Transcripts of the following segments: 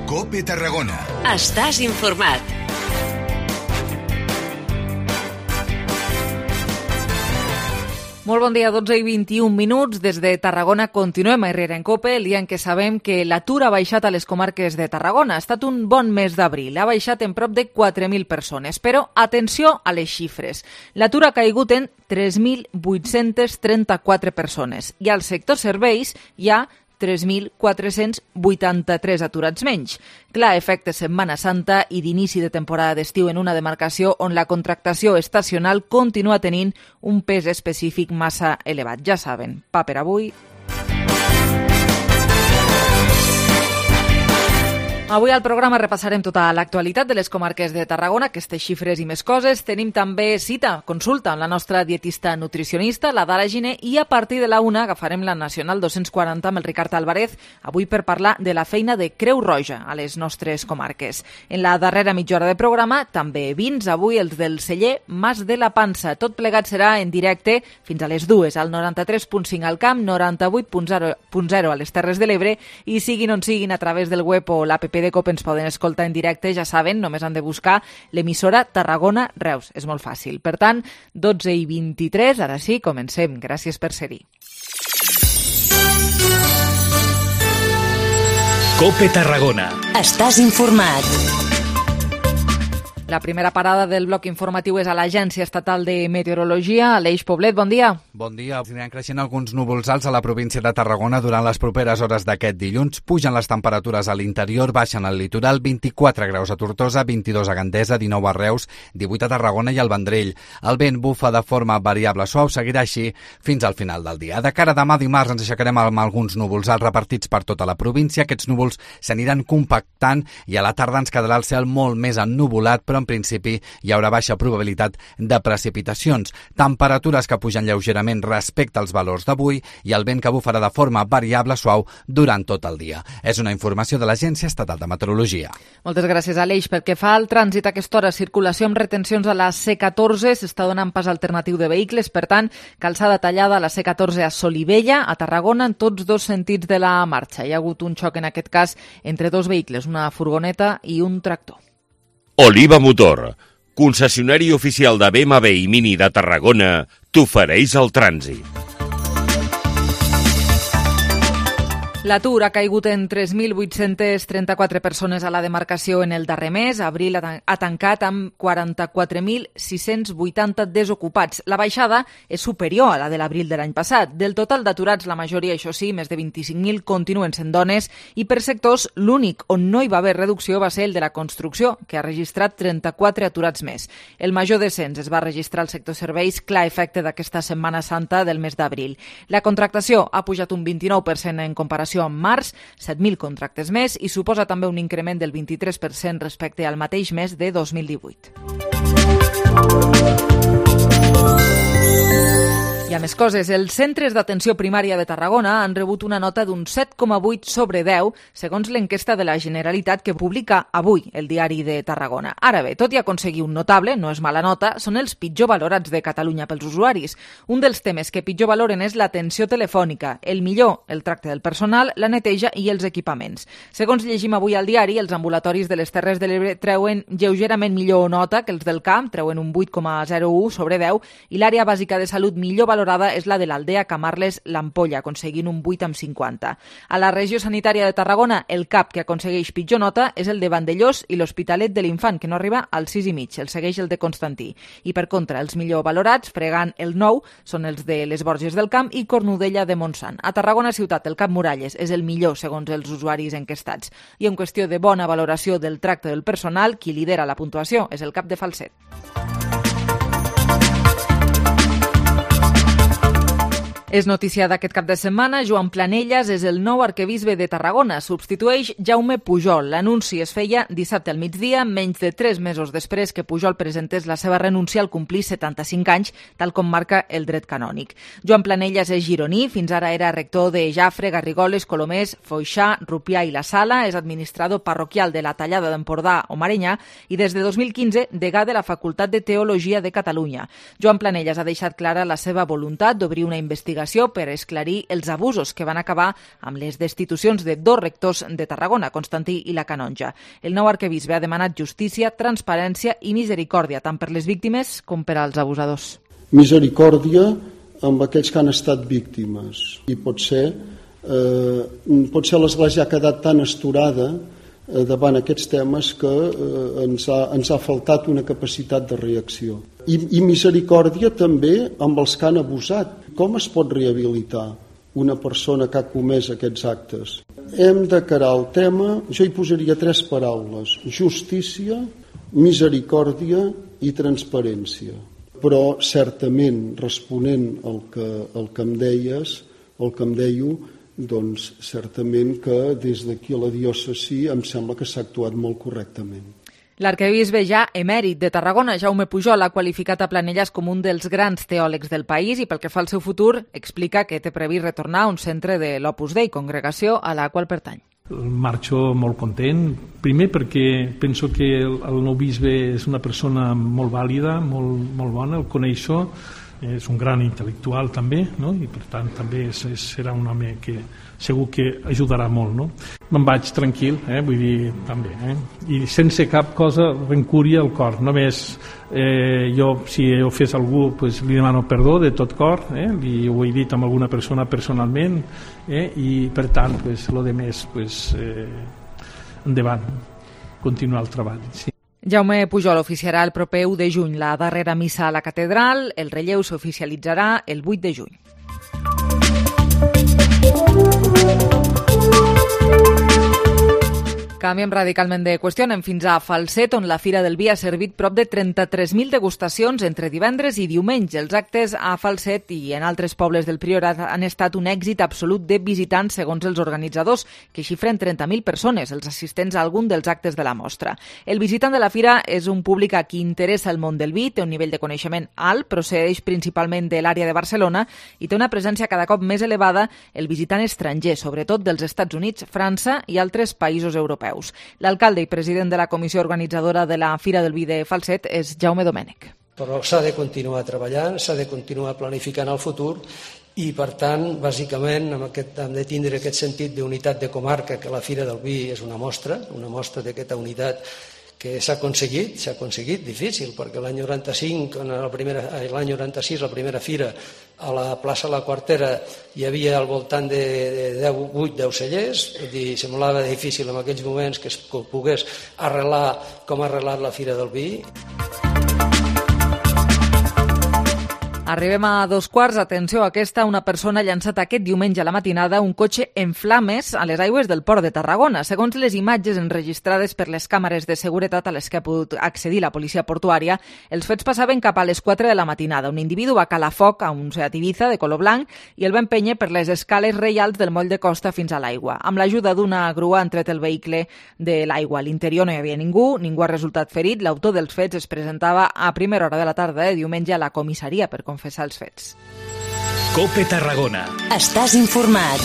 COPE Tarragona. Estàs informat. Molt bon dia, 12 i 21 minuts. Des de Tarragona continuem a Herrera en COPE, el dia en què sabem que l'atur ha baixat a les comarques de Tarragona. Ha estat un bon mes d'abril, ha baixat en prop de 4.000 persones. Però atenció a les xifres. L'atur ha caigut en 3.834 persones i al sector serveis hi ha 3.483 aturats menys. Clar, efecte Setmana Santa i d'inici de temporada d'estiu en una demarcació on la contractació estacional continua tenint un pes específic massa elevat. Ja saben, pa per avui. Avui al programa repassarem tota l'actualitat de les comarques de Tarragona, aquestes xifres i més coses. Tenim també cita, consulta amb la nostra dietista nutricionista, la Dara Giner, i a partir de la 1 agafarem la Nacional 240 amb el Ricard Álvarez, avui per parlar de la feina de Creu Roja a les nostres comarques. En la darrera mitja hora de programa, també vins, avui els del celler Mas de la Pansa. Tot plegat serà en directe fins a les 2, al 93.5 al Camp, 98.0 a les Terres de l'Ebre, i siguin on siguin a través del web o l'APP de COPE ens poden escoltar en directe, ja saben, només han de buscar l'emissora Tarragona Reus. És molt fàcil. Per tant, 12 i 23, ara sí, comencem. Gràcies per ser-hi. COPE Tarragona. Estàs informat. La primera parada del bloc informatiu és a l'Agència Estatal de Meteorologia. Aleix Poblet, bon dia. Bon dia. Aniran creixent alguns núvols alts a la província de Tarragona durant les properes hores d'aquest dilluns. Pugen les temperatures a l'interior, baixen al litoral, 24 graus a Tortosa, 22 a Gandesa, 19 a Reus, 18 a Tarragona i al Vendrell. El vent bufa de forma variable suau, seguirà així fins al final del dia. De cara a demà dimarts ens aixecarem amb alguns núvols alts repartits per tota la província. Aquests núvols s'aniran compactant i a la tarda ens quedarà el cel molt més ennuvolat, però en principi hi haurà baixa probabilitat de precipitacions. Temperatures que pugen lleugerament respecte als valors d'avui i el vent que bufarà de forma variable suau durant tot el dia. És una informació de l'Agència Estatal de Meteorologia. Moltes gràcies, Aleix. Pel que fa al trànsit a aquesta hora, circulació amb retencions a la C14, s'està donant pas alternatiu de vehicles, per tant, calçada tallada a la C14 a Solivella, a Tarragona, en tots dos sentits de la marxa. Hi ha hagut un xoc, en aquest cas, entre dos vehicles, una furgoneta i un tractor. Oliva Motor, concessionari oficial de BMW i Mini de Tarragona, t'ofereix el trànsit. L'atur ha caigut en 3.834 persones a la demarcació en el darrer mes. Abril ha tancat amb 44.680 desocupats. La baixada és superior a la de l'abril de l'any passat. Del total d'aturats, la majoria, això sí, més de 25.000, continuen sent dones i per sectors l'únic on no hi va haver reducció va ser el de la construcció, que ha registrat 34 aturats més. El major descens es va registrar al sector serveis, clar efecte d'aquesta Setmana Santa del mes d'abril. La contractació ha pujat un 29% en comparació en març, 7.000 contractes més, i suposa també un increment del 23% respecte al mateix mes de 2018. Hi ha més coses. Els centres d'atenció primària de Tarragona han rebut una nota d'un 7,8 sobre 10, segons l'enquesta de la Generalitat que publica avui el Diari de Tarragona. Ara bé, tot i aconseguir un notable, no és mala nota, són els pitjor valorats de Catalunya pels usuaris. Un dels temes que pitjor valoren és l'atenció telefònica, el millor, el tracte del personal, la neteja i els equipaments. Segons llegim avui al diari, els ambulatoris de les Terres de l'Ebre treuen lleugerament millor nota que els del Camp, treuen un 8,01 sobre 10, i l'àrea bàsica de salut millor valorada és la de l'Aldea Camarles l'Ampolla, aconseguint un 8,50. A la regió sanitària de Tarragona, el CAP que aconsegueix pitjor nota és el de Vandellós i l'Hospitalet de l'Infant, que no arriba al 6,5. El segueix el de Constantí. I per contra, els millor valorats, fregant el 9, són els de les Borges del Camp i Cornudella de Montsant. A Tarragona ciutat, el CAP Muralles és el millor segons els usuaris enquestats. I en qüestió de bona valoració del tracte del personal, qui lidera la puntuació és el CAP de Falset. És notícia d'aquest cap de setmana. Joan Planellas és el nou arquebisbe de Tarragona. Substitueix Jaume Pujol. L'anunci es feia dissabte al migdia, menys de 3 mesos després que Pujol presentés la seva renúncia al complir 75 anys, tal com marca el dret canònic. Joan Planellas és gironí, fins ara era rector de Jafre, Garrigoles, Colomers, Foixà, Rupià i la Sala, és administrador parroquial de la Tallada d'Empordà o Marenyà i des de 2015 degà de la Facultat de Teologia de Catalunya. Joan Planellas ha deixat clara la seva voluntat d'obrir una investigació investigació per esclarir els abusos que van acabar amb les destitucions de 2 rectors de Tarragona, Constantí i la Canonja. El nou arquebisbe ha demanat justícia, transparència i misericòrdia, tant per les víctimes com per als abusadors. Misericòrdia amb aquells que han estat víctimes i potser l'Església ha quedat tan esturada davant aquests temes que ens ha faltat una capacitat de reacció. I misericòrdia també amb els que han abusat. Com es pot rehabilitar una persona que ha comès aquests actes? Hem de carar el tema, jo hi posaria 3 paraules: justícia, misericòrdia i transparència. Però certament, responent al que em dèieu, doncs certament que des d'aquí a la diòcesi em sembla que s'ha actuat molt correctament. L'arquebisbe ja emèrit de Tarragona, Jaume Pujol, ha qualificat a Planelles com un dels grans teòlegs del país i pel que fa al seu futur explica que té previst retornar a un centre de l'Opus Dei, congregació a la qual pertany. Marxo molt content, primer perquè penso que el nou bisbe és una persona molt vàlida, molt bona, el coneixo, és un gran intel·lectual també, no? I per tant també serà un home que segur que ajudarà molt, no? Me'n vaig tranquil, vull dir, també, i sense cap cosa rencúria al cor, només jo, si he ofès algú, pues, li demano perdó de tot cor, ho he dit amb alguna persona personalment, i per tant, pues, lo de més, pues, endavant, continuar el treball, sí. Jaume Pujol oficiarà el proper 1 de juny la darrera missa a la catedral. El relleu s'oficialitzarà el 8 de juny. Canviem radicalment de qüestió, anem fins a Falset, on la Fira del Vi ha servit prop de 33.000 degustacions entre divendres i diumenge. Els actes a Falset i en altres pobles del Priorat han estat un èxit absolut de visitants, segons els organitzadors, que xifren 30.000 persones, els assistents a algun dels actes de la mostra. El visitant de la Fira és un públic a qui interessa el món del vi, té un nivell de coneixement alt, procedeix principalment de l'àrea de Barcelona i té una presència cada cop més elevada el visitant estranger, sobretot dels Estats Units, França i altres països europeus. L'alcalde i president de la comissió organitzadora de la Fira del Vi de Falset és Jaume Domènech. Però s'ha de continuar treballant, s'ha de continuar planificant el futur i, per tant, bàsicament, hem de tindre aquest sentit d'unitat de comarca, que la Fira del Vi és una mostra d'aquesta unitat que s'ha aconseguit, difícil, perquè l'any 95, l'any 96, la primera fira, a la plaça La Quartera hi havia al voltant de 8-10 cellers, semblava difícil en aquells moments que es pogués arrelar com ha arrelat la Fira del Vi. Arribem a 2:15, atenció a aquesta, una persona ha llançat aquest diumenge a la matinada un cotxe en flames a les aigües del port de Tarragona. Segons les imatges enregistrades per les càmeres de seguretat a les que ha pogut accedir la policia portuària, els fets passaven cap a les 4 de la matinada. Un individu va calar foc a un Seat Ibiza de color blanc i el va empènyer per les escales reials del moll de costa fins a l'aigua. Amb l'ajuda d'una grua han tret el vehicle de l'aigua. A l'interior no hi havia ningú ha resultat ferit. L'autor dels fets es presentava a primera hora de la tarda de diumenge a la comissaria per confessar els fets. COPE Tarragona. Estàs informat.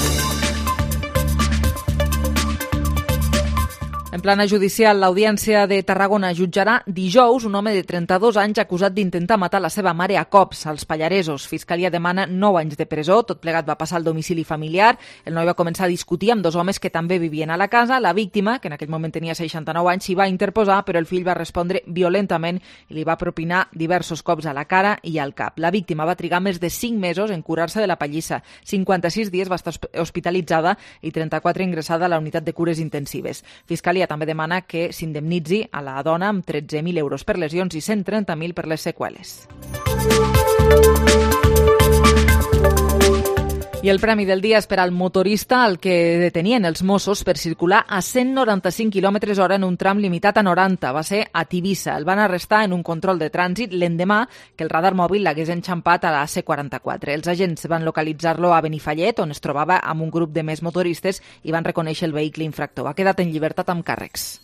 En plana judicial, l'Audiència de Tarragona jutjarà dijous un home de 32 anys acusat d'intentar matar la seva mare a cops als Pallaresos. Fiscalia demana 9 anys de presó. Tot plegat va passar al domicili familiar. El noi va començar a discutir amb 2 homes que també vivien a la casa. La víctima, que en aquell moment tenia 69 anys, s'hi va interposar, però el fill va respondre violentament i li va propinar diversos cops a la cara i al cap. La víctima va trigar més de 5 mesos en curar-se de la pallissa. 56 dies va estar hospitalitzada i 34 ingressada a la unitat de cures intensives. Fiscalia també demana que s'indemnitzi a la dona amb 13.000 euros per lesions i 130.000 per les seqüeles. I el premi del dia és per al motorista al que detenien els Mossos per circular a 195 km/h en un tram limitat a 90. Va ser a Tivissa. El van arrestar en un control de trànsit l'endemà que el radar mòbil l'hagués enxampat a la C44. Els agents van localitzar-lo a Benifallet, on es trobava amb un grup de més motoristes i van reconèixer el vehicle infractor. Ha quedat en llibertat amb càrrecs.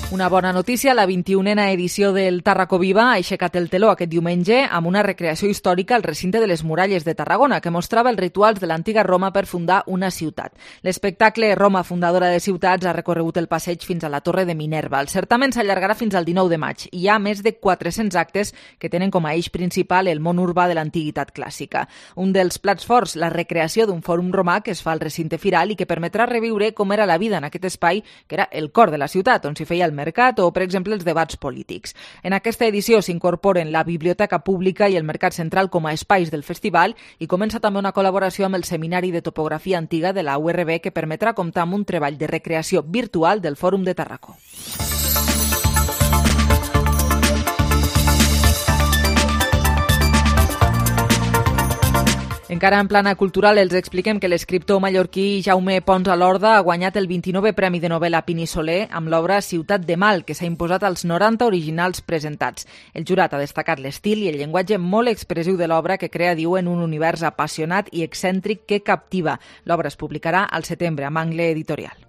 Una bona notícia, la 21a edició del Tarraco Viva ha aixecat el teló aquest diumenge amb una recreació històrica al recinte de les muralles de Tarragona que mostrava els rituals de l'antiga Roma per fundar una ciutat. L'espectacle Roma, fundadora de ciutats, ha recorregut el passeig fins a la Torre de Minerva. El certament s'allargarà fins al 19 de maig. Hi ha més de 400 actes que tenen com a eix principal el món urbà de l'antiguitat clàssica. Un dels plats forts, la recreació d'un fòrum romà que es fa al recinte firal i que permetrà reviure com era la vida en aquest espai que era el cor de la ciutat, on s'hi feia el mercat o, per exemple, els debats polítics. En aquesta edició s'incorporen la Biblioteca Pública i el Mercat Central com a espais del festival i comença també una col·laboració amb el Seminari de Topografia Antiga de la URB que permetrà comptar amb un treball de recreació virtual del Fòrum de Tarraco. Encara en plana cultural els expliquem que l'escriptor mallorquí Jaume Pons Alorda ha guanyat el 29è Premi de Novel·la Pini Soler amb l'obra Ciutat de Mal, que s'ha imposat als 90 originals presentats. El jurat ha destacat l'estil i el llenguatge molt expressiu de l'obra que crea, diu, en un univers apassionat i excèntric que captiva. L'obra es publicarà al setembre amb Angle Editorial.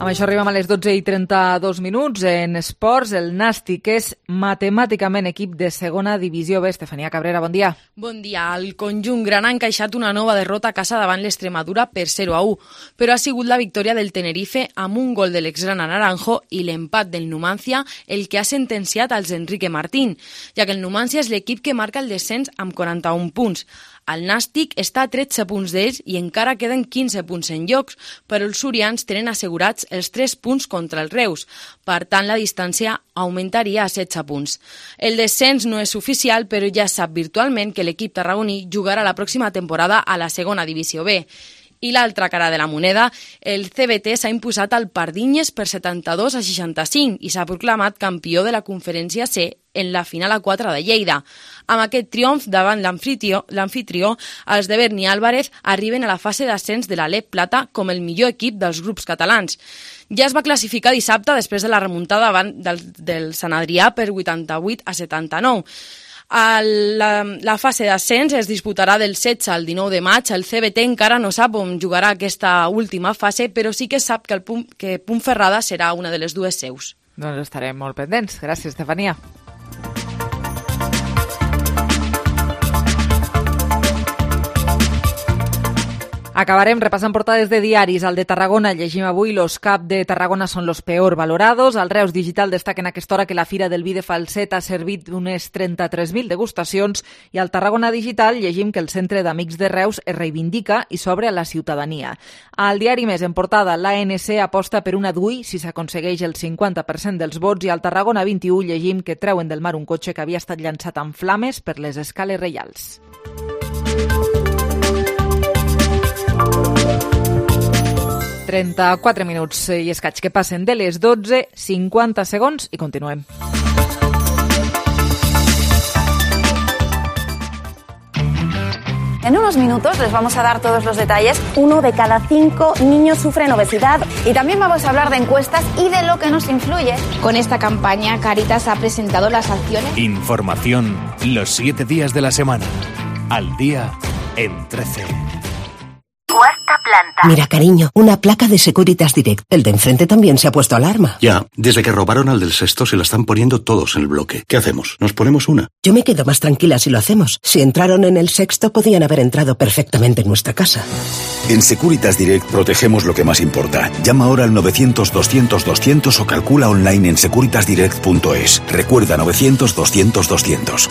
Amb això arribem a les 12:32. En esports, el Nàstic és matemàticament equip de segona divisió B. Estefania Cabrera, bon dia. Bon dia. El conjunt gran ha encaixat una nova derrota a casa davant l'Extremadura per 0-1, però ha sigut la victòria del Tenerife amb un gol de l'exgrana Naranjo i l'empat del Numancia el que ha sentenciat als Enrique Martín, ja que el Numancia és l'equip que marca el descens amb 41 punts. El Nàstic està a 13 punts d'ells i encara queden 15 punts en jocs, però els surians tenen assegurats els 3 punts contra els Reus. Per tant, la distància augmentaria a 16 punts. El descens no és oficial, però ja sap virtualment que l'equip tarragoní jugarà la pròxima temporada a la segona divisió B. I l'altra cara de la moneda, el CBT s'ha imposat al Pardinyes per 72-65 i s'ha proclamat campió de la Conferència C en la final A4 de Lleida. Amb aquest triomf davant l'amfitrió, els de Berni Álvarez arriben a la fase d'ascens de la LEP Plata com el millor equip dels grups catalans. Ja es va classificar dissabte després de la remuntada davant del Sant Adrià per 88-79. La fase d'ascens es disputarà del 16 al 19 de maig. El CBT encara no sap on jugarà aquesta última fase, però sí que sap que Puntferrada serà una de les dues seus. Doncs estarem molt pendents. Gràcies, Estefania. Acabarem repassant portades de diaris. Al de Tarragona llegim avui «Los CAP de Tarragona son los peor valorados». Al Reus Digital destaca en aquesta hora que la Fira del Vi de Falset ha servit unes 33.000 degustacions i al Tarragona Digital llegim que el Centre d'Amics de Reus es reivindica i s'obre a la ciutadania. Al diari Més en portada, l'ANC aposta per una DUI si s'aconsegueix el 50% dels vots i al Tarragona 21 llegim que treuen del mar un cotxe que havia estat llançat amb flames per les escales reials. 34 minuts i escaig que passen de les 12, 50 segons i continuem. En unos minutos les vamos a dar todos los detalles. 1 de cada 5 niños sufren obesidad y también vamos a hablar de encuestas y de lo que nos influye. Con esta campaña, Cáritas ha presentado las acciones. Información los 7 días de la semana. Al día en 13. Cuarta planta. Mira, cariño, una placa de Securitas Direct. El de enfrente también se ha puesto alarma. Ya, desde que robaron al del sexto se la están poniendo todos en el bloque. ¿Qué hacemos? ¿Nos ponemos una? Yo me quedo más tranquila si lo hacemos. Si entraron en el sexto, podían haber entrado perfectamente en nuestra casa. En Securitas Direct protegemos lo que más importa. Llama ahora al 900-200-200 o calcula online en securitasdirect.es. Recuerda 900-200-200.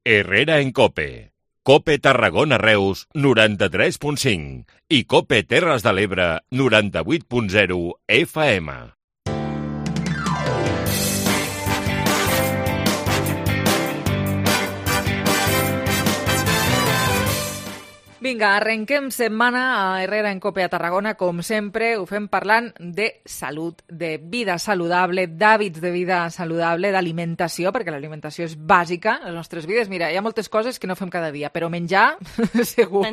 Herrera en COPE. COPE Tarragona Reus 93.5 i COPE Terres de l'Ebre 98.0 FM. Vinga, arrenquem setmana a Herrera en COPE a Tarragona. Com sempre, ho fem parlant de salut, de vida saludable, d'hàbits de vida saludable, d'alimentació, perquè l'alimentació és bàsica a les nostres vides. Mira, hi ha moltes coses que no fem cada dia, però menjar, segur.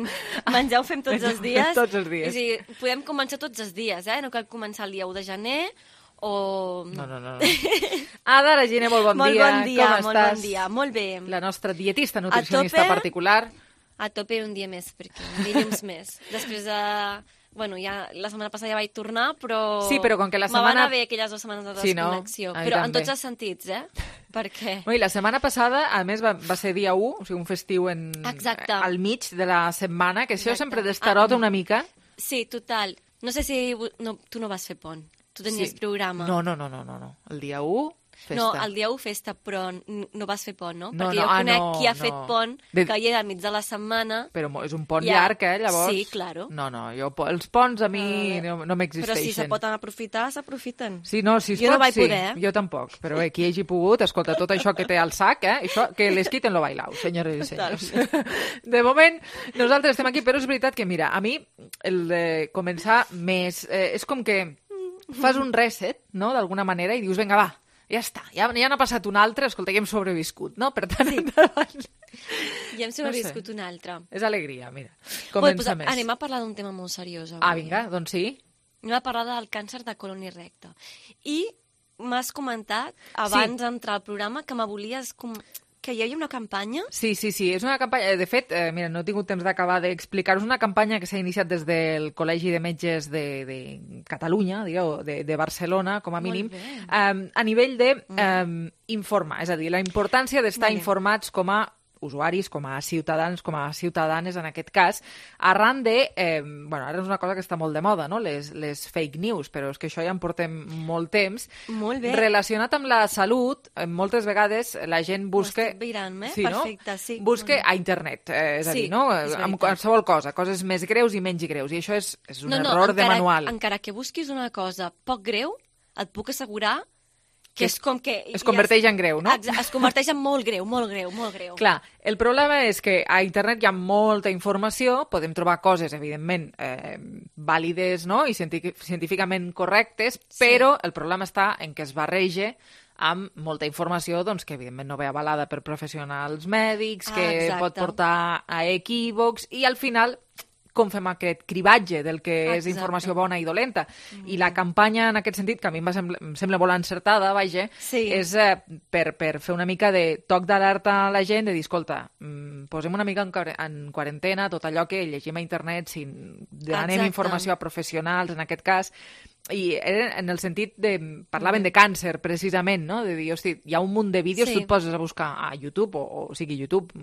Menjar ho fem tots els dies. Tots els dies. O sigui, podem començar tots els dies, no cal començar el dia 1 de gener o... No. Ada Regina, molt bon dia. Molt bon dia, com molt estàs? bon dia, molt bé. La nostra dietista nutricionista particular. a tope un dia més, perquè un dilluns més. Després de... Bueno, ja la setmana passada ja vaig tornar, però... Sí, però com que la setmana... Me van anar bé aquelles 2 setmanes de desconnexió. Sí, no? Però en tots els sentits, Perquè... I la setmana passada, a més, va ser dia 1, o sigui, un festiu al mig de la setmana, que això sempre destarota una mica. Sí, total. No sé si... No, tu no vas fer pont. Tu tenies programa. No. El dia 1... Festa. No, el dia 1 festa, però no vas fer pont, no? Perquè jo conec qui ha fet pont, que hi ha al mig de la setmana... Però és un pont llarg, llavors... Sí, claro. No, els ponts a mi no m'existeixen. Però si se poden aprofitar, s'aprofiten. Sí, no, si es pot, no vaig poder, Jo tampoc. Però qui hagi pogut, escolta, tot això que té al sac, això, que les quiten lo bailao, senyores i senyors. De moment, nosaltres estem aquí, però és veritat que, mira, a mi, el de començar més... és com que fas un reset, no?, d'alguna manera, i dius, vinga, va, ja està, ja n'ha passat un altre, escolta, ja hem sobreviscut, no? Per tant, endavant. Ja hem sobreviscut un altre. És alegria, mira. Comença més. Anem a parlar d'un tema molt seriós avui. Vinga, doncs sí. Anem a parlar del càncer de colon i recte. I m'has comentat, abans d'entrar al programa, que me volies... Que hi havia una campanya? Sí, és una campanya... De fet, mira, no he tingut temps d'acabar d'explicar-vos una campanya que s'ha iniciat des del Col·legi de Metges de Catalunya, de Barcelona, com a mínim, a nivell d'informar, és a dir, la importància d'estar informats com a usuaris, com a ciutadans, com a ciutadanes, en aquest cas, arran de... ara és una cosa que està molt de moda, no?, les fake news, però és que això ja en portem molt temps. Molt bé. Relacionat amb la salut, moltes vegades la gent busca... Ho estic veient, sí, perfecte, sí. Busca a internet, és a dir, no?, amb qualsevol cosa, coses més greus i menys greus, i això és un error de manual. Encara que busquis una cosa poc greu, et puc assegurar que és com que... Es converteix en greu, no? Es converteix en molt greu, molt greu, molt greu. Clar, el problema és que a internet hi ha molta informació, podem trobar coses, evidentment, vàlides, no?, i científicament correctes, però el problema està en què es barreja amb molta informació doncs, que evidentment no ve avalada per professionals mèdics, que pot portar a equívocs, i al final... com fem aquest cribatge del que és informació bona i dolenta. I la campanya, en aquest sentit, que a mi em sembla molt encertada, vaja, és per fer una mica de toc d'alerta a la gent, de dir, escolta, posem una mica en quarantena tot allò que llegim a internet, si demanem informació a professionals, en aquest cas, i en el sentit de... Parlaven de càncer, precisament, no? De dir, hosti, hi ha un munt de vídeos, tu et poses a buscar a YouTube, o sigui YouTube,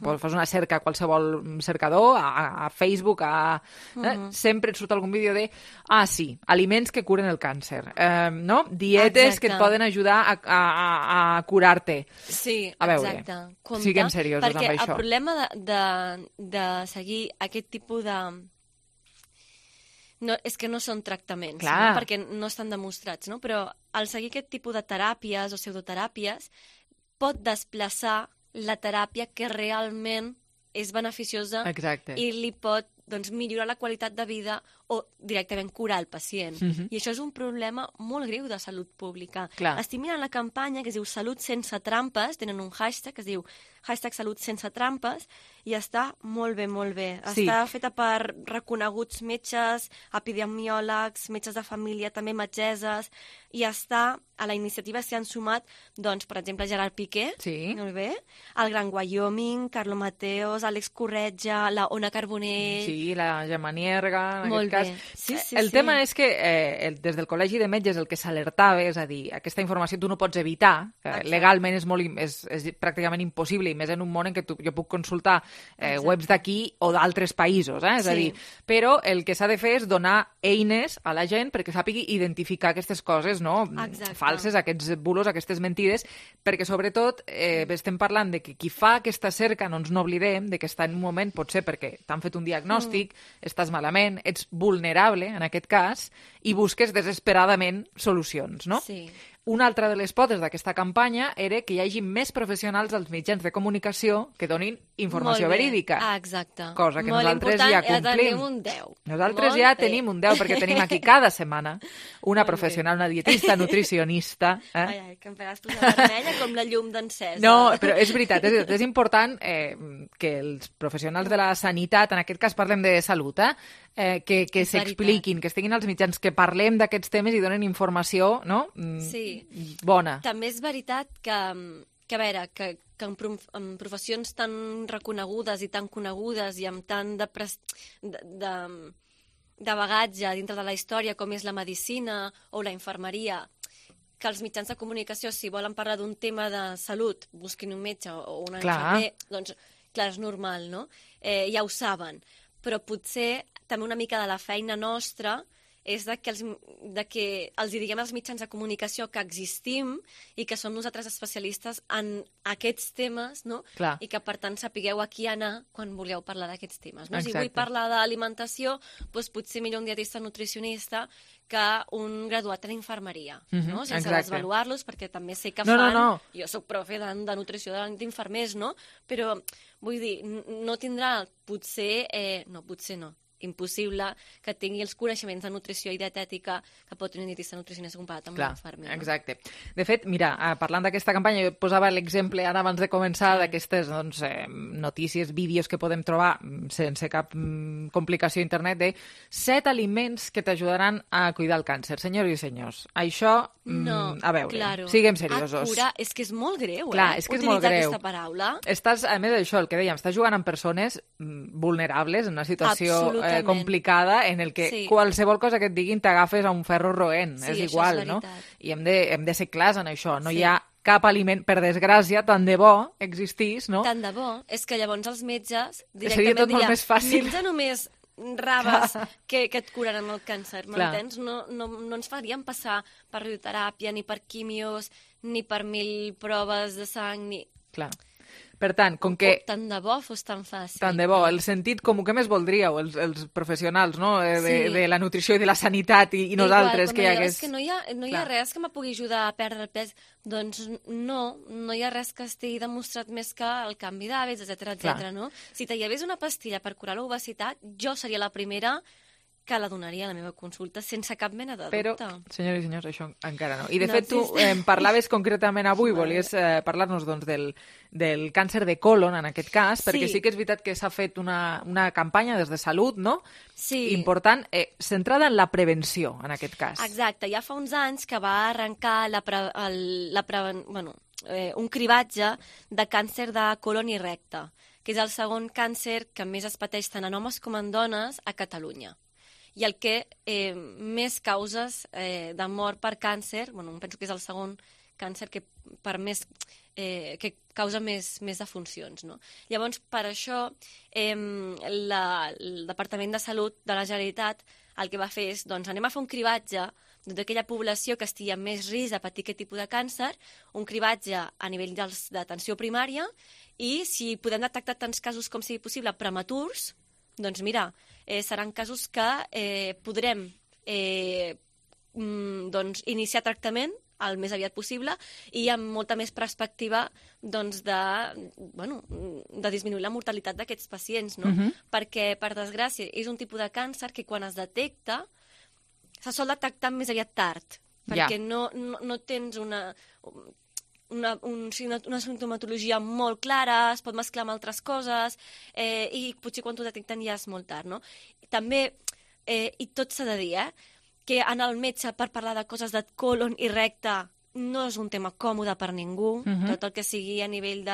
fas una cerca a qualsevol cercador, a Facebook, sempre et surt algun vídeo de, sí, aliments que curen el càncer, no? Dietes que et poden ajudar a curar-te. Sí, a veure, siguem seriosos amb això. Perquè el problema de seguir aquest tipus de... No, és que no són tractaments, no? Perquè no estan demostrats, no? Però al seguir aquest tipus de teràpies o pseudoteràpies pot desplaçar la teràpia que realment és beneficiosa i li pot millorar la qualitat de vida o directament curar el pacient. I això és un problema molt greu de salut pública. Estic mirant la campanya que es diu Salut sense trampes, tenen un hashtag que es diu #salut sense trampes, i està molt bé, molt bé. Està feta per reconeguts metges, epidemiòlegs, metges de família, també metgesses, i està a la iniciativa s'hi han sumat, doncs, per exemple, Gerard Piqué, molt bé, el Gran Wyoming, Carlo Mateos, Àlex Corretja, la Ona Carbonell... Sí, la Gemma Nierga, en molt aquest cas. El tema és que des del Col·legi de Metges el que s'alertava, és a dir, aquesta informació tu no pots evitar, legalment és pràcticament impossible, i més en un món en què jo puc consultar webs d'aquí o d'altres països, és a dir, però el que s'ha de fer és donar eines a la gent perquè sàpigui identificar aquestes coses, no? Falses, aquests bulos, aquestes mentides, perquè sobretot estem parlant de que qui fa aquesta cerca, no ens n'oblidem, de que està en un moment, potser perquè t'han fet un diagnòstic, estàs malament, ets vulnerable, en aquest cas, i busques desesperadament solucions, no? Sí. Una altra de les potes d'aquesta campanya era que hi hagi més professionals als mitjans de comunicació que donin informació verídica. Exacte. Cosa que nosaltres ja complim. Tenim un 10. Nosaltres ja tenim un 10, perquè tenim aquí cada setmana una professional, una dietista, nutricionista. Ai, que em faràs posar vermella com la llum d'encesa. No, però és veritat, és important que els professionals de la sanitat, en aquest cas parlem de salut, que s'expliquin, que estiguin als mitjans, que parlem d'aquests temes i donen informació, no? Sí. Bona. També és veritat que que a veure, que en professions tan reconegudes i tan conegudes i amb tant de bagatge dintre de la història com és la medicina o la infermeria, que els mitjans de comunicació, si volen parlar d'un tema de salut, busquin un metge o un infermer, doncs clar, és normal, no? Ja ho saben. Però potser també una mica de la feina nostra és que els diguem als mitjans de comunicació que existim i que som nosaltres especialistes en aquests temes, no? I que, per tant, sapigueu a qui anar quan vulgueu parlar d'aquests temes. No? Si vull parlar d'alimentació, doncs potser millor un dietista nutricionista que un graduat en infermeria, no? Sense desvaluar-los, perquè també sé que fan... Jo soc profe de nutrició d'infermers, no? Però, vull dir, no tindrà potser... potser no. Impossible que tingui els coneixements de nutrició i dietètica que pot tenir un dietista nutricionista comparat amb un infermer. Exacte. De fet, mira, parlant d'aquesta campanya, jo posava l'exemple ara abans de començar d'aquestes notícies, vídeos que podem trobar sense cap complicació a internet de 7 aliments que t'ajudaran a cuidar el càncer. Senyors i senyors, això, a veure, siguem seriosos. És que és molt greu, és que és molt greu. Utilitzar aquesta paraula. Estàs, a més d'això, el que dèiem, estàs jugant amb persones vulnerables en una situació complicada en el que qualsevol cosa que et diguin t'agafes a un ferro roent, és igual, no? I hem de ser clars en això, no hi ha cap aliment, per desgràcia, tant de bo existís, no? Tant de bo, és que llavors els metges directament seria tot molt més fàcil. Menja només raves que et curaran el càncer, m'entens? No ens farien passar per radioteràpia, ni per quimios, ni per 1000 proves de sang, ni... Clar. Per tant, com que... Tant de bo fos tan fàcil. Tant de bo, el sentit comú que més voldríeu, els professionals, no?, de la nutrició i de la sanitat i nosaltres que hi hagués... És que no hi ha res que me pugui ajudar a perdre el pes. Doncs no hi ha res que estigui demostrat més que el canvi d'hàbits, etcètera, no? Si hi hagués una pastilla per curar l'obesitat, jo seria la primera que la donaria a la meva consulta sense cap mena de dubte. Però, senyores i senyors, això encara no. I, de fet, tu parlaves concretament avui, volies parlar-nos doncs, del càncer de colon, en aquest cas, perquè sí que és veritat que s'ha fet una campanya des de Salut, no? Sí. Important, centrada en la prevenció, en aquest cas. Exacte. Ja fa uns anys que va arrencar un cribatge de càncer de colon i recte, que és el segon càncer que més es pateix tant en homes com en dones a Catalunya. I el que més causes de mort per càncer, penso que és el segon càncer que causa més defuncions, no? Llavors, per això, el Departament de Salut de la Generalitat el que va fer és, doncs, anem a fer un cribatge d'aquella població que estigui amb més risc de patir aquest tipus de càncer, un cribatge a nivell d'atenció primària, i si podem detectar tants casos com sigui possible prematurs, doncs mira, seran casos que podrem iniciar tractament el més aviat possible i amb molta més perspectiva de disminuir la mortalitat d'aquests pacients, no? Perquè, per desgràcia, és un tipus de càncer que quan es detecta se sol detectar més aviat tard, perquè no tens una sintomatologia molt clara, es pot mesclar amb altres coses i potser quan t'ho detecten ja és molt tard, no? També, i tot s'ha de dir, que anar al metge per parlar de coses de colon i recte no és un tema còmode per ningú, tot el que sigui a nivell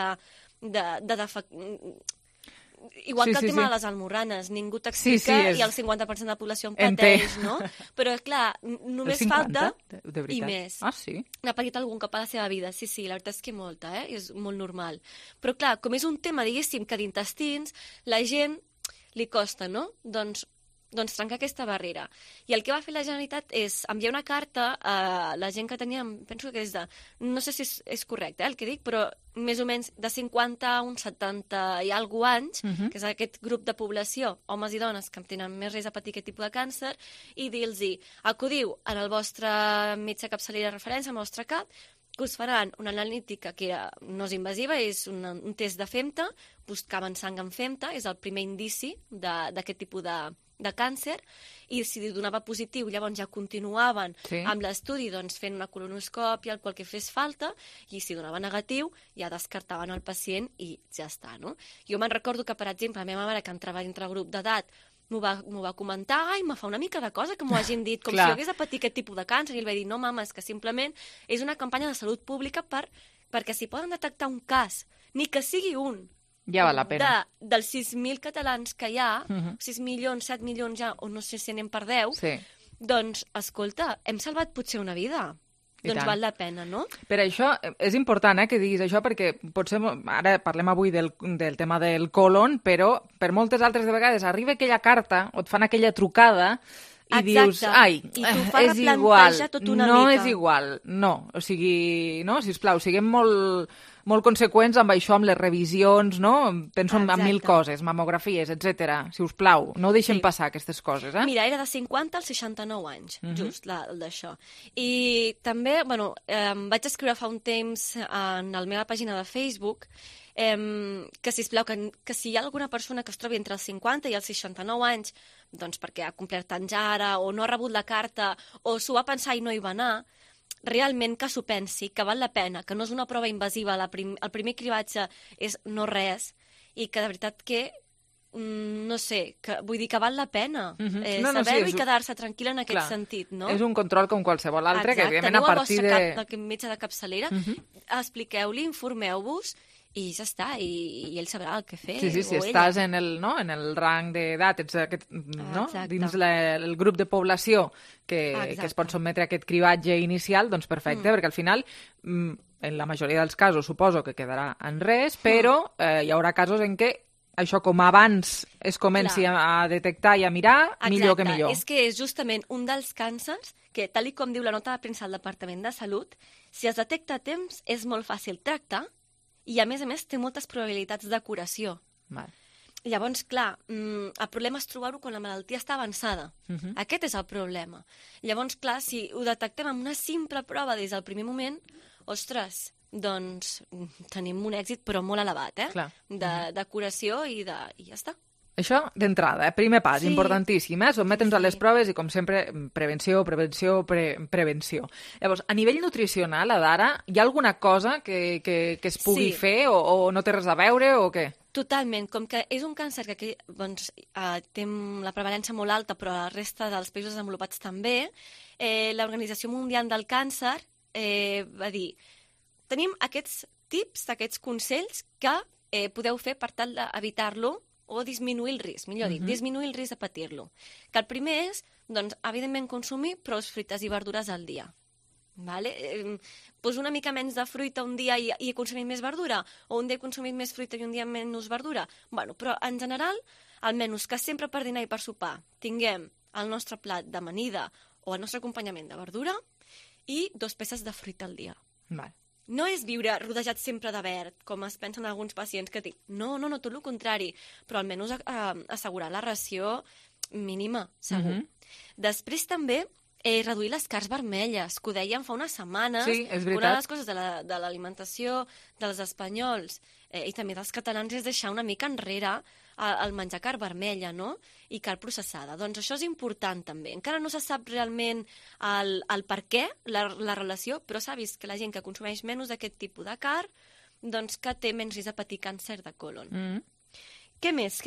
igual que el tema de les almorranes, ningú t'explica i el 50% de la població en pateix, no? Però, clar, només falta i més. Ah, sí? N'ha patit algun cop a la seva vida, sí, la veritat és que molta, és molt normal. Però, clar, com és un tema, diguéssim, que d'intestins, la gent li costa, no? Doncs trencar aquesta barrera. I el que va fer la Generalitat és enviar una carta a la gent que tenia, penso que és de, no sé si és correcte el que dic, però més o menys de 50 a uns 70 i alguna anys, que és aquest grup de població, homes i dones, que tenen més risc de patir aquest tipus de càncer, i dir-los, acudiu en el vostre metge capçalera de referència, al vostre CAP, que us faran una analítica que no és invasiva, és un test de FEMTA, buscaven sang en FEMTA, és el primer indici d'aquest tipus de càncer, i si donava positiu, llavors ja continuaven amb l'estudi fent una colonoscòpia, el qual que fes falta, i si donava negatiu, ja descartaven el pacient i ja està, no? Jo me'n recordo que, per exemple, la meva mare, que entrava dintre el grup d'edat, m'ho va comentar, i me fa una mica de cosa que m'ho hagin dit, com si jo hagués de patir aquest tipus de càncer, i ell va dir, no, mama, és que simplement és una campanya de salut pública per perquè si poden detectar un cas, ni que sigui un, ja val la pena. Dels 6.000 catalans que hi ha, 6 milions, 7 milions ja, o no sé si anem per 10, doncs, escolta, hem salvat potser una vida. Doncs val la pena, no? Per això és important que diguis això, perquè potser ara parlem avui del tema del còlon, però per moltes altres de vegades arriba aquella carta o et fan aquella trucada i dius, ai, és igual, no és igual, no. O sigui, no, sisplau, siguem molt conseqüents amb això, amb les revisions, no? Penso en 1.000 coses, mamografies, etc. Si us plau, no ho deixem passar, aquestes coses, eh? Mira, era de 50 als 69 anys, just, el d'això. I també, bueno, vaig escriure fa un temps en la meva pàgina de Facebook que, sisplau, que si hi ha alguna persona que es trobi entre els 50 i els 69 anys, doncs perquè ha complert anys ara, o no ha rebut la carta, o s'ho va pensar i no hi va anar, realment que s'ho pensi, que val la pena, que no és una prova invasiva, el primer cribatge és no res, i que de veritat que, no sé, vull dir que val la pena saber-ho i quedar-se tranquil·la en aquest sentit, no? És un control com qualsevol altre, que evidentment a partir de... Exacte, teniu metge de capçalera, expliqueu-li, informeu-vos, i ja està, i ell sabrà el que fer. Sí, si estàs en el rang d'edat, ets dins el grup de població que es pot sotmetre a aquest cribatge inicial, doncs perfecte, perquè al final, en la majoria dels casos, suposo que quedarà en res, però hi haurà casos en què això, com abans es comenci a detectar i a mirar, millor que millor. És que és justament un dels càncers que, tal com diu la nota de premsa del Departament de Salut, si es detecta a temps és molt fàcil tractar i, a més, té moltes probabilitats de curació. Llavors, clar, el problema és trobar-ho quan la malaltia està avançada. Aquest és el problema. Llavors, clar, si ho detectem amb una simple prova des del primer moment, ostres, doncs tenim un èxit però molt elevat, de curació i ja està. Això d'entrada, primer pas, importantíssim, sotmetre'ns a les proves i, com sempre, prevenció. Llavors, a nivell nutricional, Adara, hi ha alguna cosa que es pugui fer o no té res a veure o què? Totalment, com que és un càncer que té la prevalència molt alta, però a la resta dels països desenvolupats també, l'Organització Mundial del Càncer va dir: tenim aquests tips, aquests consells que podeu fer per tal d'evitar-lo o disminuir el risc, millor dit, disminuir el risc de patir-lo. Que el primer és, doncs, evidentment, consumir prou fruites i verdures al dia. Pues una mica menys de fruita un dia i he consumit més verdura, o un dia he consumit més fruita i un dia menys verdura. Però, en general, almenys que sempre per dinar i per sopar tinguem el nostre plat d'amanida o el nostre acompanyament de verdura i 2 peces de fruita al dia. No és viure rodejat sempre de verd, com es pensen alguns pacients que dic. No, tot el contrari, però almenys assegurar la ració mínima, segur. Després també reduir les carns vermelles, que ho dèiem fa unes setmanes. Sí, és veritat. Una de les coses de l'alimentació dels espanyols i també dels catalans és deixar una mica enrere el menjar carn vermella, no? I carn processada. Doncs això és important també. Encara no se sap realment el per què, la relació, però s'ha vist que la gent que consumeix menys d'aquest tipus de carn, doncs que té menys risc de patir càncer de còlon. Què més?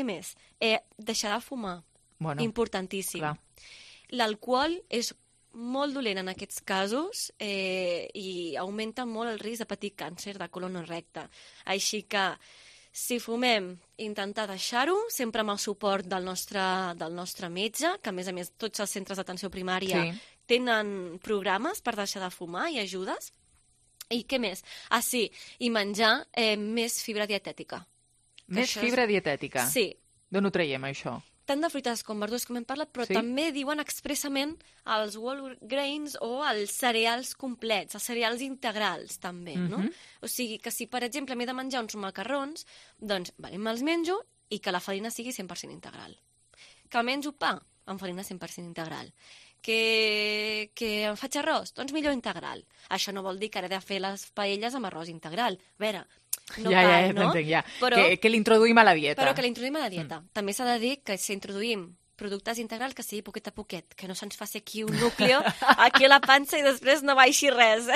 Deixar de fumar. Importantíssim. L'alcohol és molt dolent en aquests casos i augmenta molt el risc de patir càncer de còlon recte. Així que si fumem, intentar deixar-ho, sempre amb el suport del nostre metge, que a més tots els centres d'atenció primària tenen programes per deixar de fumar i ajudes. I què més? I menjar més fibra dietètica. Més fibra dietètica? Sí. D'on ho traiem, això? Tant de fruites com verdures, com hem parlat, però també diuen expressament els whole grains o els cereals complets, els cereals integrals, també, no? O sigui, que si, per exemple, m'he de menjar uns macarrons, doncs, me'ls menjo i que la farina sigui 100% integral. Que menjo pa amb farina 100% integral. Que em faig arròs? Doncs millor integral. Això no vol dir que ara he de fer les paelles amb arròs integral. A veure, no cal, no? T'entenc, ja. Que l'introduïm a la dieta. Però que l'introduïm a la dieta. També s'ha de dir que si introduïm productes integrals que sigui poquet a poquet, que no se'ns faci aquí un núcleo, aquí a la pansa i després no baixi res.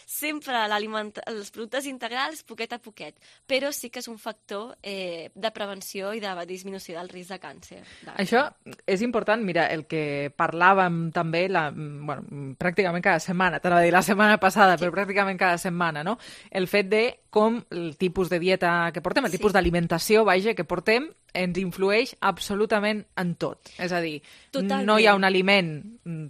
Sempre els productes integrals poquet a poquet, però sí que és un factor de prevenció i de disminució del risc de càncer. Això és important, mira, el que parlàvem també pràcticament cada setmana, t'anava a dir la setmana passada, però pràcticament cada setmana, no? El fet de com el tipus de dieta que portem, el tipus d'alimentació, que portem, ens influeix absolutament en tot. És a dir, no hi ha un aliment,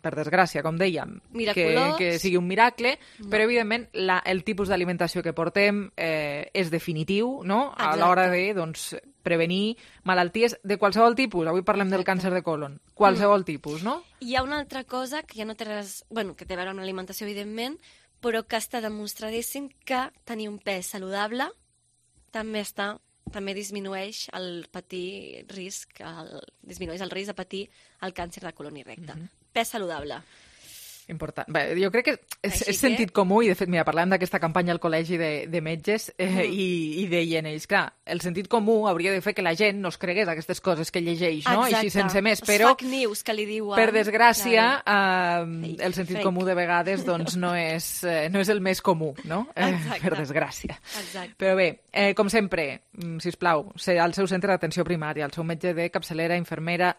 per desgràcia, com dèiem, que sigui un miracle, però evidentment el tipus d'alimentació que portem és definitiu, no? A l'hora de prevenir malalties de qualsevol tipus. Avui parlem del càncer de colon. Qualsevol tipus, no? Hi ha una altra cosa que ja no té res... que té a veure amb l'alimentació, evidentment, però que està demostradíssim que tenir un pes saludable també disminueix el risc de patir el càncer de colon i recte. Pes saludable. Important. Bé, jo crec que és sentit comú, i de fet, mira, parlàvem d'aquesta campanya al col·legi de metges i deien ells, clar, el sentit comú hauria de fer que la gent no es cregués aquestes coses que llegeix, no? Així sense més, però fake news que li diuen, per desgràcia, el sentit comú de vegades no és el més comú, no? Per desgràcia. Però bé, com sempre, sisplau, al seu centre d'atenció primària, al seu metge de capçalera, infermera,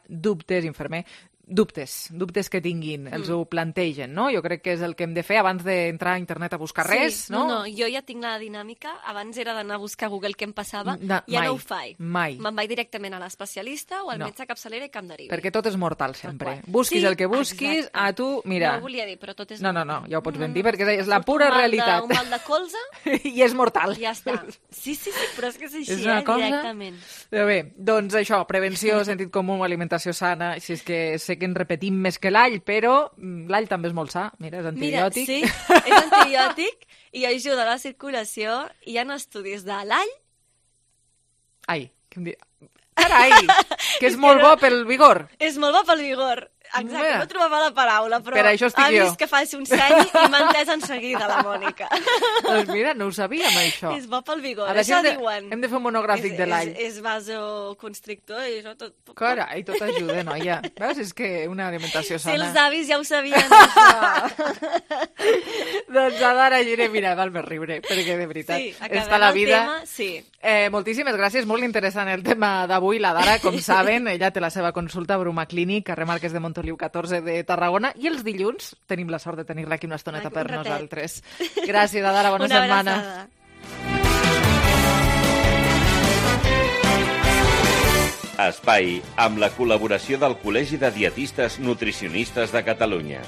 dubtes que tinguin, els ho plantegen, no? Jo crec que és el que hem de fer abans d'entrar a internet a buscar res, no? No, jo ja tinc la dinàmica, abans era d'anar a buscar a Google què em passava, ja no ho faig. Mai. Me'n vaig directament a l'especialista o al metge capçalera i que em derivi. Perquè tot és mortal, sempre. Busquis el que busquis, a tu, mira... No ho volia dir, però tot és mortal. No, ja ho pots ben dir, perquè és la pura realitat. Un mal de colze... I és mortal. Ja està. Sí, però és que és així, directament. Però bé, doncs això, prevenció, sentit comú, alimentació sana, si és que sé que ens repetim més que l'all, però l'all també és molt sa. Mira, és antibiòtic. Mira, sí, és antibiòtic i ajuda a la circulació. Hi ha estudis de l'all... Ai, què em diu? Carai, que és molt bo pel vigor. És molt bo pel vigor. Exacte, no trobava la paraula, però per això estic ha vist que faci un seny i m'ha entès en seguida, la Mònica. Doncs mira, no ho sabíem, això. És bo pel vigor, això diuen. Hem de fer un monogràfic de l'all. És vasoconstrictor i això tot... Carai, tot ajuda, noia. Veus, és que una alimentació sana... Si els avis ja ho sabien, això. Doncs, Adara Giner, mira, val més riure, perquè de veritat està la vida... Moltíssimes gràcies, molt interessant el tema d'avui. La Dara, com saben, ella té la seva consulta a Bruma Clínic, carrer Marquès de Montoliu 14 de Tarragona, i els dilluns tenim la sort de tenir-la aquí una estoneta per nosaltres. Gràcies, Adara, bona setmana. Espai amb la col·laboració del Col·legi de Dietistes Nutricionistes de Catalunya.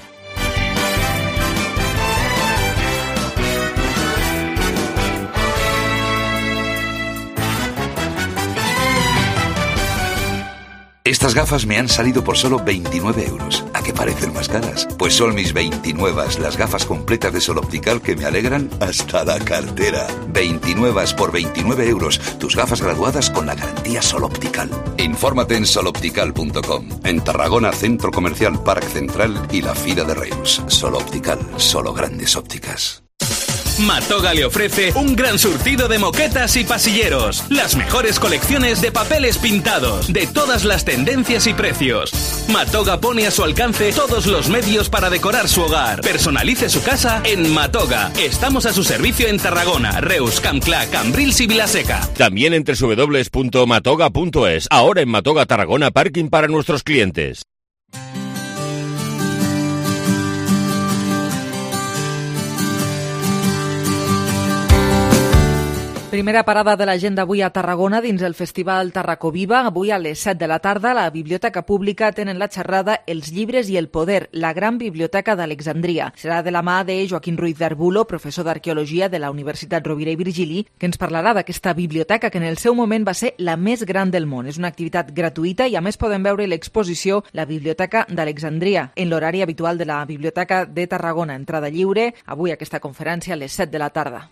Estas gafas me han salido por solo 29 euros. ¿A qué parecen más caras? Pues son mis 29, las gafas completas de Sol Optical que me alegran hasta la cartera. 29 por 29 euros. Tus gafas graduadas con la garantía Sol Optical. Infórmate en soloptical.com. En Tarragona, Centro Comercial Parc Central y la Fira de Reus. Sol Optical, solo grandes ópticas. Matoga le ofrece un gran surtido de moquetas y pasilleros, las mejores colecciones de papeles pintados, de todas las tendencias y precios. Matoga pone a su alcance todos los medios para decorar su hogar. Personalice su casa en Matoga. Estamos a su servicio en Tarragona, Reus, Campclà, Cambrils y Vilaseca. También en www.matoga.es. Ahora en Matoga Tarragona, parking para nuestros clientes. Primera parada de l'agenda avui a Tarragona dins el Festival Tarracoviva. Avui a les 7 de la tarda a la Biblioteca Pública tenen la xerrada Els llibres i el poder, la gran biblioteca d'Alexandria. Serà de la mà de Joaquín Ruiz de Arbulo, professor d'Arqueologia de la Universitat Rovira i Virgili, que ens parlarà d'aquesta biblioteca que en el seu moment va ser la més gran del món. És una activitat gratuïta i a més podem veure l'exposició La Biblioteca d'Alexandria en l'horari habitual de la Biblioteca de Tarragona. Entrada lliure, avui aquesta conferència a les 7 de la tarda.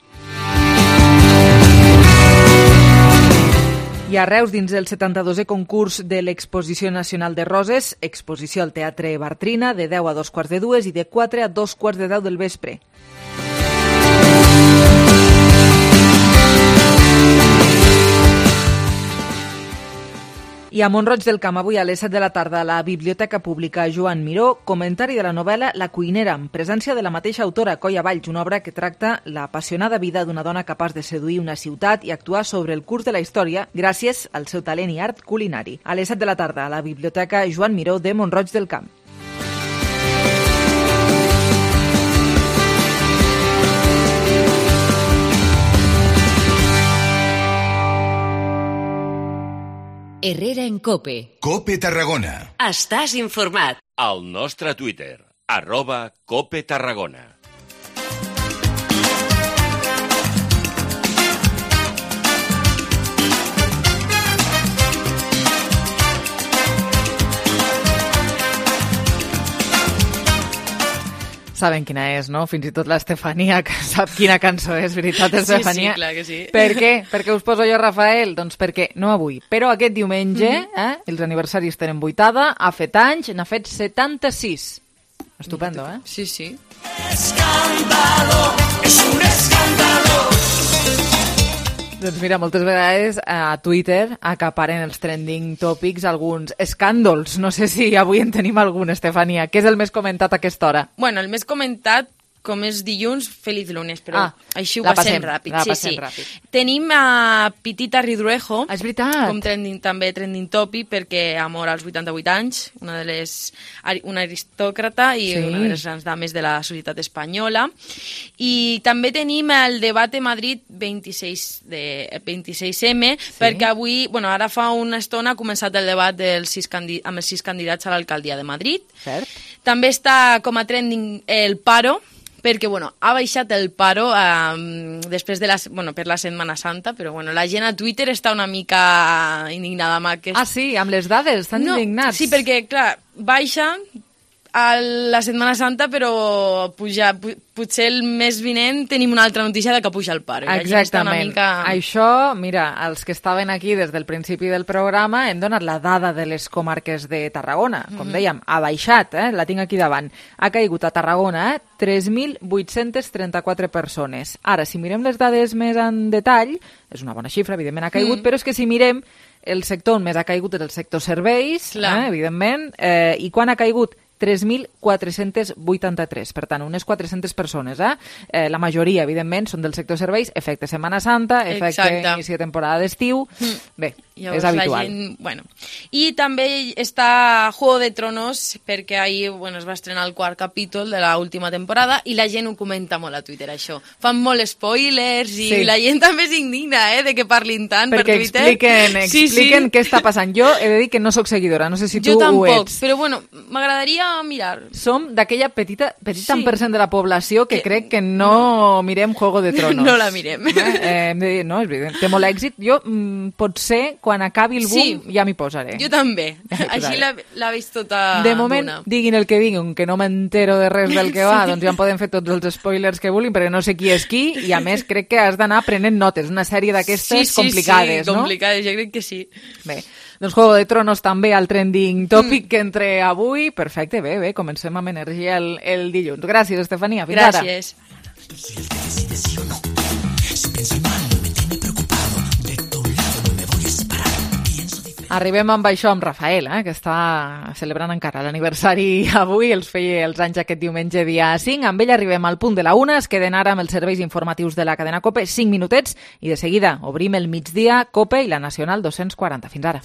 I a Reus, dins el 72è concurs de l'Exposició Nacional de Roses, exposició al Teatre Bartrina de 10 a 2:15 i de 4 a 2:10 del vespre. I a Mont-roig del Camp, avui a les 7 de la tarda, a la Biblioteca Pública Joan Miró, comentari de la novel·la La cuinera, amb presència de la mateixa autora, Coia Valls, una obra que tracta l'apassionada vida d'una dona capaç de seduir una ciutat i actuar sobre el curs de la història gràcies al seu talent i art culinari. A les 7 de la tarda, a la Biblioteca Joan Miró de Mont-roig del Camp. Herrera en COPE. COPE Tarragona. Estàs informat. Al nostre Twitter, @COPE Tarragona. Saben quina és, no? Fins i tot l'Estefania, que sap quina cançó és, veritat, Estefania? Sí, clar que sí. Per què? Per què us poso jo, Rafael? Doncs perquè, no avui, però aquest diumenge, els aniversaris tenen vuitada, ha fet anys, n'ha fet 76. Estupendo, eh? Sí, sí. Escándalo, és un escándalo. Doncs mira, moltes vegades a Twitter acaparen els trending topics alguns escàndols. No sé si avui en tenim algun, Estefania. Què és el més comentat a aquesta hora? Bueno, el més comentat, com és dilluns, feliç lunes, però així ho passem ràpid. Sí. Tenim a Pitita Ridruejo, és veritat, com també trending topic, perquè ha mort als 88 anys, una aristòcrata i una de les grans dames de la societat espanyola. I també tenim el debat de Madrid 26M, perquè avui, ara fa una estona ha començat el debat amb els 6 candidats a l'alcaldia de Madrid. Cert. També està com a trending el paro, perquè ha baixat el paro després de per la Setmana Santa, però la gent a Twitter està una mica indignada amb aquest... Ah, sí? Amb les dades? Estan indignats? Sí, perquè, clar, baixa a la Setmana Santa, però potser el mes vinent tenim una altra notícia de que puja el paro. Exactament. Això, mira, els que estaven aquí des del principi del programa hem donat la dada de les comarques de Tarragona. Com dèiem, ha baixat, la tinc aquí davant. Ha caigut a Tarragona 3.834 persones. Ara, si mirem les dades més en detall, és una bona xifra, evidentment ha caigut, però és que si mirem el sector on més ha caigut és el sector serveis, evidentment, i quan ha caigut? 3.483, per tant, unes 400 persones. La majoria, evidentment, són del sector serveis, efecte Setmana Santa, efecte inici de temporada d'estiu. Bé, és habitual. I també està Juego de Tronos, perquè ahir es va estrenar el 4 capítol de l'última temporada i la gent ho comenta molt a Twitter, això. Fan molt spoilers i la gent també s'indigna de que parlin tant per Twitter. Perquè expliquen què està passant. Jo he de dir que no sóc seguidora, no sé si tu ho ets. Jo tampoc, però m'agradaria mirar. Som d'aquella petita % de la població que crec que no mirem Juego de Tronos. No la mirem. No, és evident. Té molt èxit. Jo, potser, quan acabi el boom, ja m'hi posaré. Jo també. Així l'ha vist tota de moment, diguin el que diguin, que no m'entero de res del que va, doncs ja em poden fer tots els spoilers que vulguin, perquè no sé qui és qui, i a més crec que has d'anar prenent notes. Una sèrie d'aquestes complicades, no? Sí, complicades, jo crec que sí. Bé, doncs Juego de Tronos també al trending topic que entre avui. Perfecte, bé, comencem amb energia el dilluns. Gràcies, Estefania. Fins ara. Gràcies. Arribem amb això amb Rafael, que està celebrant encara l'aniversari avui, els feia els anys aquest diumenge dia 5. Amb ell arribem al punt de la 1, es queden ara amb els serveis informatius de la cadena COPE, 5 minutets, i de seguida obrim el migdia COPE i la Nacional 240. Fins ara.